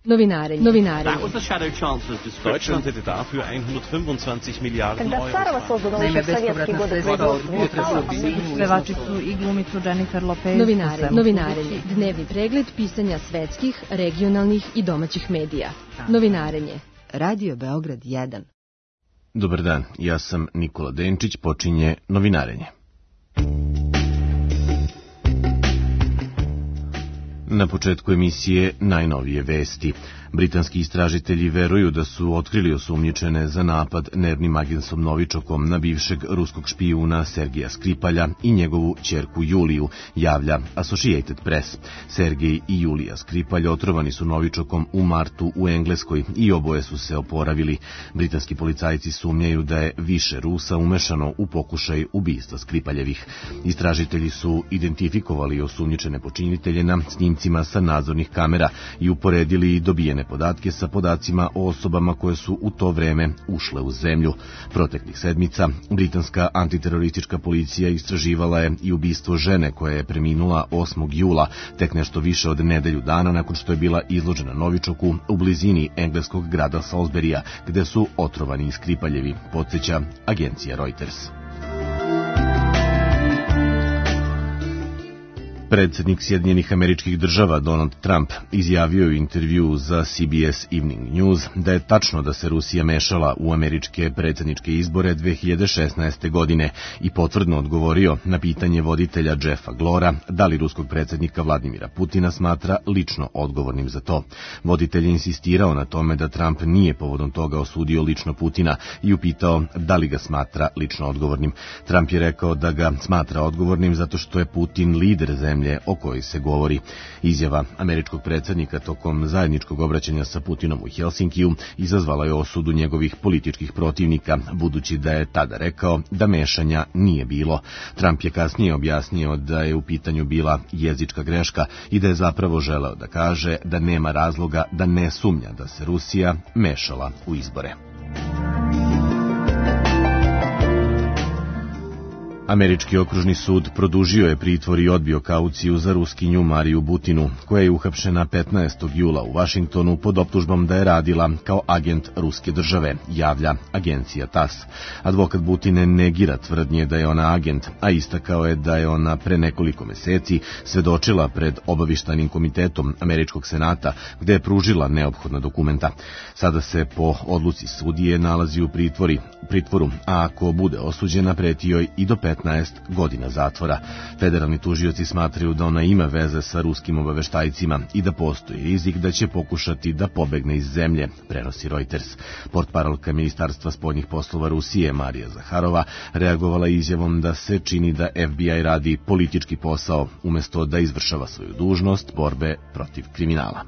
Novinarenje. Deutschland hätte dafür 125 Milijarden euro. Naime, bespovratna sredstva od pevačicu i glumicu Jennifer Lopez. Novinarenje. Dnevni pregled pisanja svetskih, regionalnih i domaćih medija. Novinarenje. Radio Beograd 1. Dobar dan, ja sam Nikola Denčić, počinje Novinarenje. Na početku emisije najnovije vesti. Britanski istražitelji veruju da su otkrili osumnjičene za napad nervnim agensom Novičokom na bivšeg ruskog špijuna Sergeja Skripalja i njegovu ćerku Juliju, javlja Associated Press. Sergej i Julija Skripalj otrovani su Novičokom u martu u Engleskoj i oboje su se oporavili. Britanski policajci sumnjaju da je više Rusa umešano u pokušaj ubistva Skripaljevih. Istražitelji su identifikovali osumnjičene počinitelje na snimcima sa nadzornih kamera i uporedili dobijene podatke sa podacima o osobama koje su u to vreme ušle u zemlju. Proteklih sedmica britanska antiteroristička policija istraživala je i ubistvo žene koja je preminula 8. jula, tek nešto više od nedelju dana nakon što je bila izložena Novičoku u blizini engleskog grada Salisburya, gde su otrovani i Skripaljevi, podsjeća agencija Reuters. Predsjednik Sjedinjenih Američkih Država Donald Trump izjavio u intervjuu za CBS Evening News da je tačno da se Rusija mešala u američke predsjedničke izbore 2016. godine i potvrdno odgovorio na pitanje voditelja Jeffa Glora da li ruskog predsjednika Vladimira Putina smatra lično odgovornim za to. Voditelj je insistirao na tome da Trump nije povodom toga osudio lično Putina i upitao da li ga smatra lično odgovornim. Trump je rekao da ga smatra odgovornim zato što je Putin lider zemlje o kojoj se govori. Izjava američkog predsjednika tokom zajedničkog obraćanja sa Putinom u Helsinkiju izazvala je osudu njegovih političkih protivnika, budući da je tada rekao da mešanja nije bilo. Trump je kasnije objasnio da je u pitanju bila jezička greška i da je zapravo želeo da kaže da nema razloga da ne sumnja da se Rusija mešala u izbore. Američki okružni sud produžio je pritvor i odbio kauciju za Ruskinju Mariju Butinu, koja je uhapšena 15. jula u Vašingtonu pod optužbom da je radila kao agent ruske države, javlja agencija TASS. Advokat Butine negira tvrdnje da je ona agent, a istakao je da je ona pre nekoliko meseci svedočila pred obavještajnim komitetom Američkog senata, gde je pružila neophodna dokumenta. Sada se po odluci sudije nalazi u pritvoru, a ako bude osuđena preti joj i do 15 godina zatvora. Federalni tužioci smatraju da ona ima veze sa ruskim obaveštajcima i da postoji rizik da će pokušati da pobegne iz zemlje, prenosi Reuters. Portparolka Ministarstva spoljnih poslova Rusije Marija Zaharova reagovala izjavom da se čini da FBI radi politički posao umjesto da izvršava svoju dužnost borbe protiv kriminala.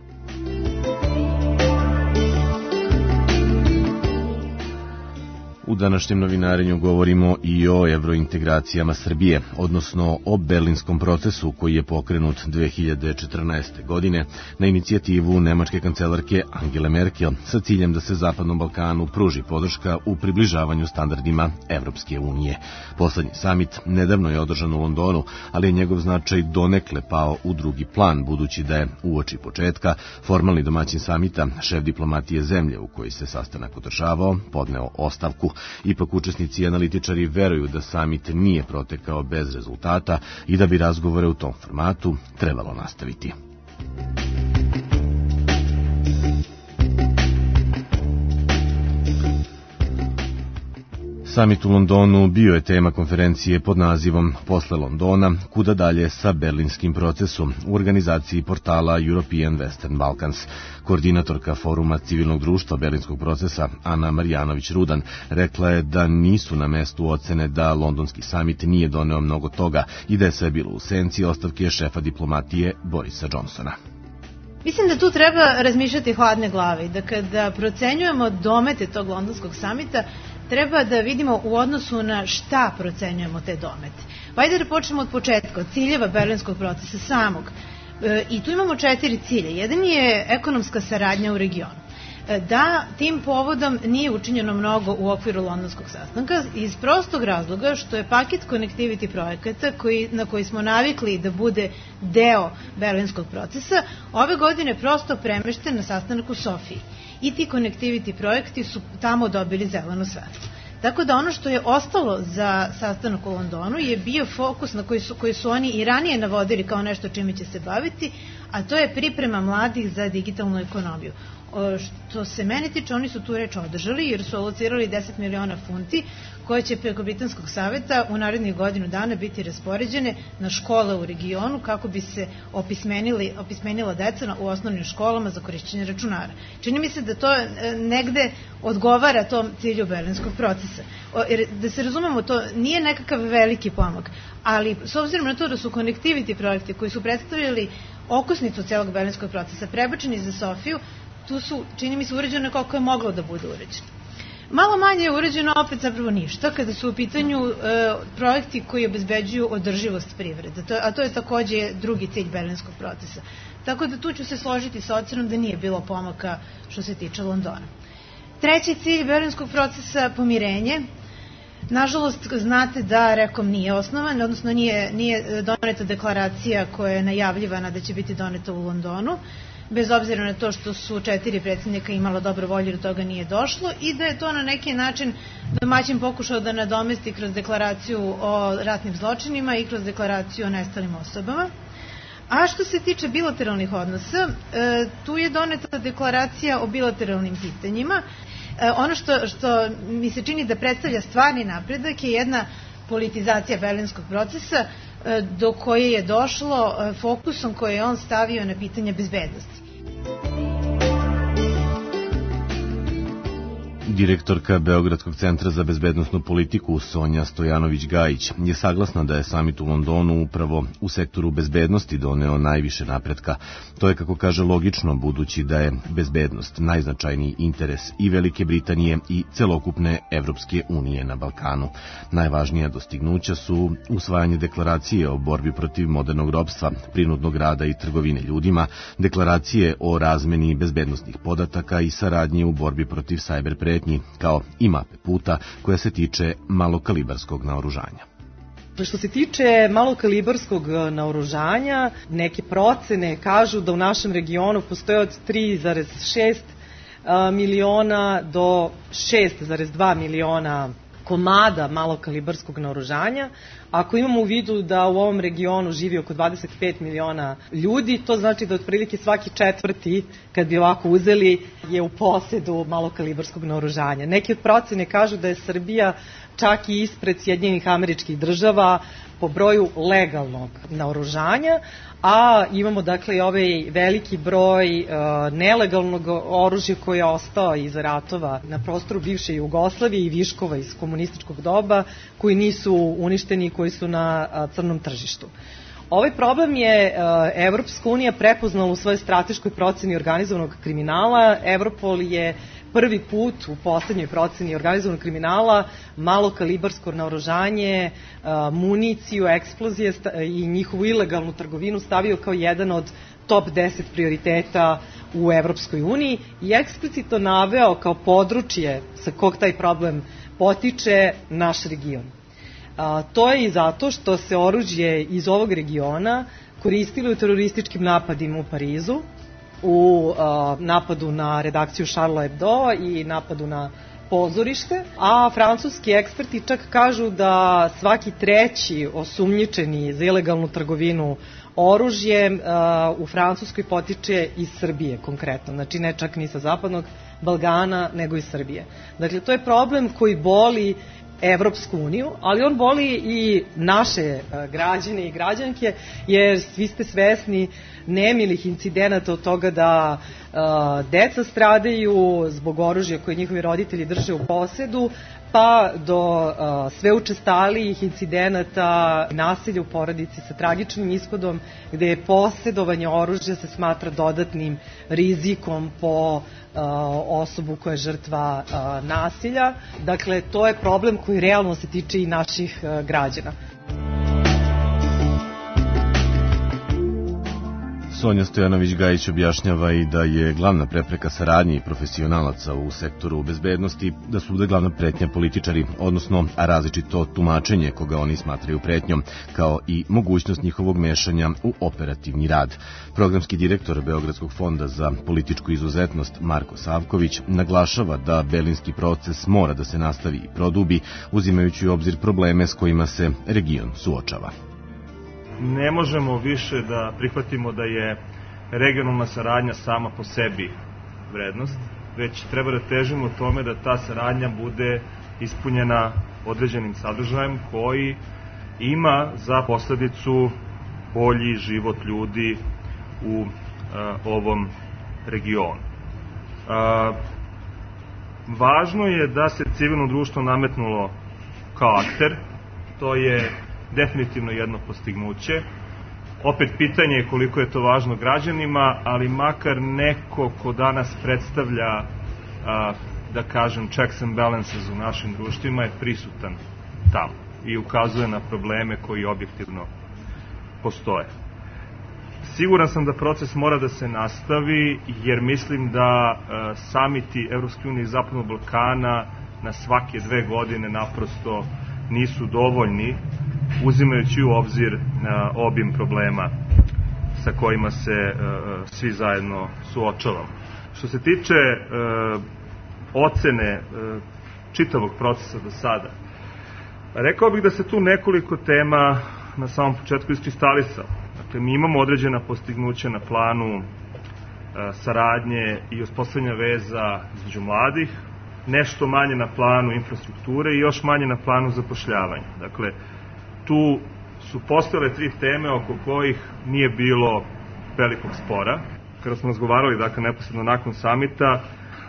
U današnjem novinarenju govorimo i o evrointegracijama Srbije, odnosno o berlinskom procesu koji je pokrenut 2014. godine na inicijativu nemačke kancelarke Angele Merkel sa ciljem da se Zapadnom Balkanu pruži podrška u približavanju standardima Evropske unije. Poslednji samit nedavno je održan u Londonu, ali je njegov značaj donekle pao u drugi plan, budući da je uoči početka formalni domaćin samita, šef diplomatije zemlje u kojoj se sastanak održavao, podneo ostavku. Ipak učesnici i analitičari veruju da samit nije protekao bez rezultata i da bi razgovore u tom formatu trebalo nastaviti. Samit u Londonu bio je tema konferencije pod nazivom Posle Londona, kuda dalje sa berlinskim procesom u organizaciji portala European Western Balkans. Koordinatorka foruma civilnog društva berlinskog procesa Ana Marjanović-Rudan rekla je da nisu na mestu ocene da londonski samit nije doneo mnogo toga i da je sve bilo u senci ostavke šefa diplomatije Borisa Johnsona. Mislim da tu treba razmišljati hladne glave i da kada procenjujemo domete tog londonskog samita, treba da vidimo u odnosu na šta procenjujemo te domete. Ajde da počnemo od početka, od ciljeva berlinskog procesa samog. I tu imamo 4 cilje. Jedan je ekonomska saradnja u regionu. da tim povodom nije učinjeno mnogo u okviru londonskog sastanka iz prostog razloga što je paket connectivity projekata na koji smo navikli da bude deo berlinskog procesa ove godine prosto premešten na sastanak u Sofiji i ti connectivity projekti su tamo dobili zeleno svetlo. Tako da ono što je ostalo za sastanak u Londonu je bio fokus na koji su oni i ranije navodili kao nešto čime će se baviti, a to je priprema mladih za digitalnu ekonomiju. Što se mene tiče, oni su tu reč održali jer su alocirali 10 miliona funti koje će preko Britanskog saveta u narednih godinu dana biti raspoređene na škole u regionu kako bi se opismenila deca u osnovnim školama za korišćenje računara. Čini mi se da to negde odgovara tom cilju berlinskog procesa. Da se razumemo, to nije nekakav veliki pomak, ali s obzirom na to da su connectivity projekti koji su predstavljali okosnicu celog berlinskog procesa prebačeni za Sofiju, tu su, čini mi se, urađeno koliko je moglo da bude urađeno. Malo manje je urađeno opet zapravo ništa kada su u pitanju projekti koji obezbeđuju održivost privrede, a to je takođe drugi cilj berlinskog procesa. Tako da tu ću se složiti sa ocenom da nije bilo pomaka što se tiče Londona. Treći cilj berlinskog procesa, pomirenje. Nažalost, znate da REKOM nije osnovan, odnosno nije doneta deklaracija koja je najavljivana da će biti doneta u Londonu, bez obzira na to što su 4 predsjednika imala dobro volju da toga nije došlo i da je to na neki način domaćin pokušao da nadomesti kroz deklaraciju o ratnim zločinima i kroz deklaraciju o nestalim osobama. A što se tiče bilateralnih odnosa, tu je doneta deklaracija o bilateralnim pitanjima. Ono što mi se čini da predstavlja stvarni napredak je jedna politizacija berlinskog procesa do koje je došlo fokusom koji je on stavio na pitanje bezbednosti. Direktorka Beogradskog centra za bezbednosnu politiku Sonja Stojanović-Gajić je saglasna da je samit u Londonu upravo u sektoru bezbednosti doneo najviše napretka. To je, kako kaže, logično, budući da je bezbednost najznačajniji interes i Velike Britanije i celokupne Evropske unije na Balkanu. Najvažnija dostignuća su usvajanje deklaracije o borbi protiv modernog ropstva, prinudnog rada i trgovine ljudima, deklaracije o razmeni bezbednosnih podataka i saradnje u borbi protiv sajber pretnji, kao i mape puta koja se tiče malokalibarskog naoružanja. Što se tiče malokalibarskog naoružanja, neke procene kažu da u našem regionu postoje od 3,6 miliona do 6,2 miliona komada malokalibarskog naoružanja. Ako imamo u vidu da u ovom regionu živi oko 25 miliona ljudi, to znači da otprilike svaki četvrti, kad bi ovako uzeli, je u posedu malokalibarskog naoružanja. Neki od procene kažu da je Srbija čak i ispred Sjedinjenih Američkih Država po broju legalnog naoružanja, a imamo dakle i ovaj veliki broj nelegalnog oružja koje je ostao iz ratova na prostoru bivše Jugoslavije i viškova iz komunističkog doba koji nisu uništeni i koji su na crnom tržištu. Ovaj problem je Evropska unija prepoznala u svojoj strateškoj proceni organizovanog kriminala. Europol je prvi put u poslednjoj proceni organizovanog kriminala malokalibarsko naoružanje, municiju, eksplozije i njihovu ilegalnu trgovinu stavio kao jedan od top 10 prioriteta u Evropskoj uniji i eksplicitno naveo kao područje sa kog taj problem potiče naš region. To je i zato što se oružje iz ovog regiona koristilo u terorističkim napadima u Parizu, u napadu na redakciju Charlie Hebdo i napadu na pozorište, a francuski eksperti čak kažu da svaki treći osumnjičeni za ilegalnu trgovinu oružjem u Francuskoj potiče iz Srbije konkretno, znači ne čak ni sa zapadnog Balkana, nego iz Srbije. Dakle, to je problem koji boli Evropsku uniju, ali on boli i naše građane i građanke, jer svi ste svesni nemilih incidenata od toga da deca stradaju zbog oružja koje njihovi roditelji drže u posedu, pa do sve učestalijih incidenata nasilja u porodici sa tragičnim ishodom, gde je posedovanje oružja se smatra dodatnim rizikom po osobu koja je žrtva nasilja. Dakle, to je problem koji realno se tiče i naših građana. Sonja Stojanović-Gajić objašnjava i da je glavna prepreka saradnje i profesionalaca u sektoru bezbednosti da su glavna pretnja političari, odnosno različito tumačenje koga oni smatraju pretnjom, kao i mogućnost njihovog mešanja u operativni rad. Programski direktor Beogradskog fonda za političku izuzetnost Marko Savković naglašava da berlinski proces mora da se nastavi i produbi, uzimajući u obzir probleme s kojima se region suočava. Ne možemo više da prihvatimo da je regionalna saradnja sama po sebi vrednost, već treba da težimo tome da ta saradnja bude ispunjena određenim sadržajem koji ima za posledicu bolji život ljudi u ovom regionu. Važno je da se civilno društvo nametnulo kao akter, to je definitivno jedno postignuće. Opet pitanje je koliko je to važno građanima, ali makar neko ko danas predstavlja, da kažem, checks and balances u našim društvima je prisutan tamo i ukazuje na probleme koji objektivno postoje. Siguran sam da proces mora da se nastavi, jer mislim da samiti Evropske unije i Zapadnog Balkana na svake 2 godine naprosto nisu dovoljni, uzimajući u obzir obim problema sa kojima se svi zajedno suočavamo. Što se tiče ocene čitavog procesa do sada, rekao bih da se tu nekoliko tema na samom početku iskristalisalo. Dakle, mi imamo određena postignuća na planu saradnje i uspostavljanja veza između mladih, nešto manje na planu infrastrukture i još manje na planu zapošljavanja. Dakle, tu su postojale 3 teme oko kojih nije bilo velikog spora. Kada smo razgovarali, dakle, neposredno nakon samita,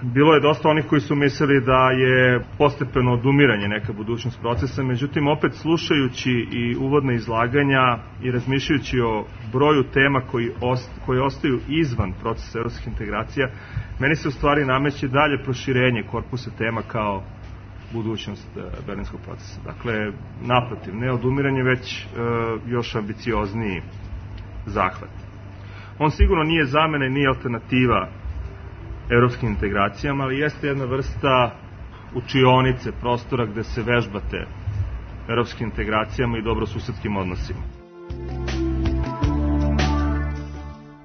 bilo je dosta onih koji su mislili da je postepeno odumiranje neka budućnost procesa, međutim, opet slušajući i uvodna izlaganja i razmišljajući o broju tema koji ostaju izvan procesa evropskih integracija, meni se u stvari nameće dalje proširenje korpusa tema kao budućnost berlinskog procesa. Dakle, naprotiv, ne odumiranje, već još ambiciozniji zahvat. On sigurno nije zamena i nije alternativa evropskim integracijama, ali jeste jedna vrsta učionice, prostora gde se vežbate evropskim integracijama i dobrosusedskim odnosima.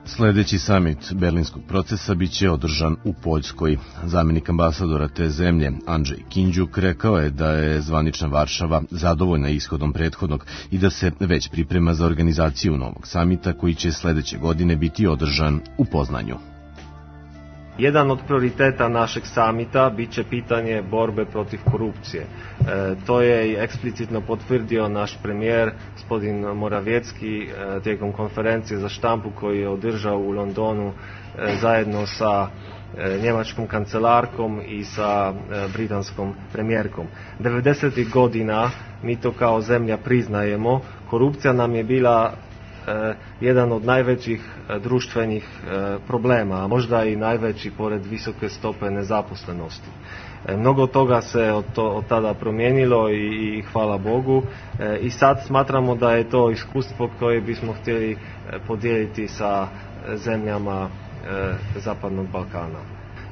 Sledeći samit berlinskog procesa biće održan u Poljskoj. Zamenik ambasadora te zemlje, Andrzej Kinđuk, rekao je da je zvanična Varšava zadovoljna ishodom prethodnog i da se već priprema za organizaciju novog samita koji će sledeće godine biti održan u Poznanju. Jedan od prioriteta našeg samita biće pitanje borbe protiv korupcije. To je eksplicitno potvrdio naš premijer, gospodin Morawiecki, tijekom konferencije za štampu koju je održao u Londonu zajedno sa njemačkom kancelarkom i sa britanskom premijerkom. 90. godina, mi to kao zemlja priznajemo, korupcija nam je bila jedan od najvećih društvenih problema, a možda i najveći pored visoke stope nezaposlenosti. Mnogo toga se od tada promijenilo i hvala Bogu, i sad smatramo da je to iskustvo koje bismo htjeli podijeliti sa zemljama Zapadnog Balkana.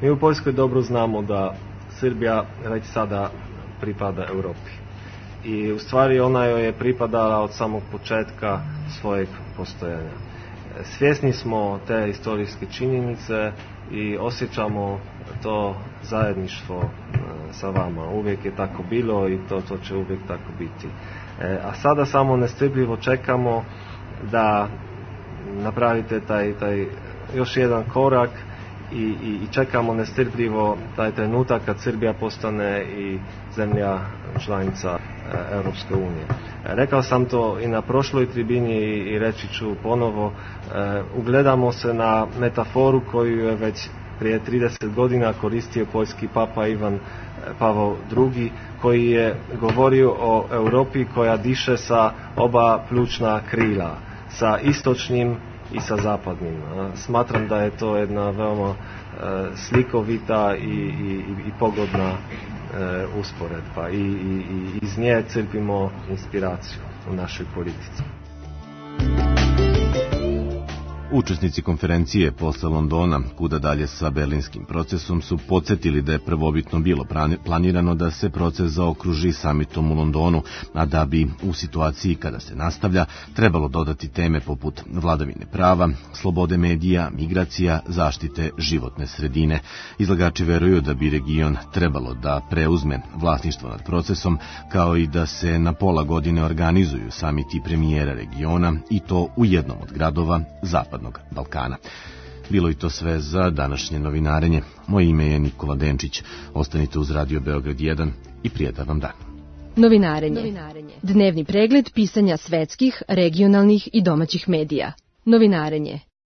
Mi u Poljskoj dobro znamo da Srbija već sada pripada Europi. I u stvari ona joj je pripadala od samog početka svojeg postojanja. Svjesni smo te historijske činjenice i osjećamo to zajedništvo sa vama. Uvijek je tako bilo i to će uvijek tako biti. A sada samo nestrpljivo čekamo da napravite taj još jedan korak i čekamo nestrpljivo taj trenutak kad Srbija postane i zemlja članica Europske unije. Rekao sam to i na prošloj tribini i reći ću ponovo, ugledamo se na metaforu koju je već prije 30 godina koristio poljski papa Ivan Pavao II, koji je govorio o Europi koja diše sa oba pljučna krila, sa istočnim i sa zapadnim. Smatram da je to jedna veoma slikovita i pogodna usporedba i iz nje crpimo inspiraciju u našoj politici. Učesnici konferencije posle Londona, kuda dalje sa berlinskim procesom, su podsjetili da je prvobitno bilo planirano da se proces zaokruži samitom u Londonu, a da bi u situaciji kada se nastavlja trebalo dodati teme poput vladavine prava, slobode medija, migracija, zaštite životne sredine. Izlagači veruju da bi region trebalo da preuzme vlasništvo nad procesom, kao i da se na pola godine organizuju samiti premijera regiona i to u jednom od gradova Zapadnog Balkana. Bilo i to sve za današnje novinarenje. Moje ime je Nikola Denčić. Ostanite uz Radio Beograd 1 i prijatan vam dan. Novinarenje. Dnevni pregled pisanja svetskih, regionalnih i domaćih medija. Novinarenje.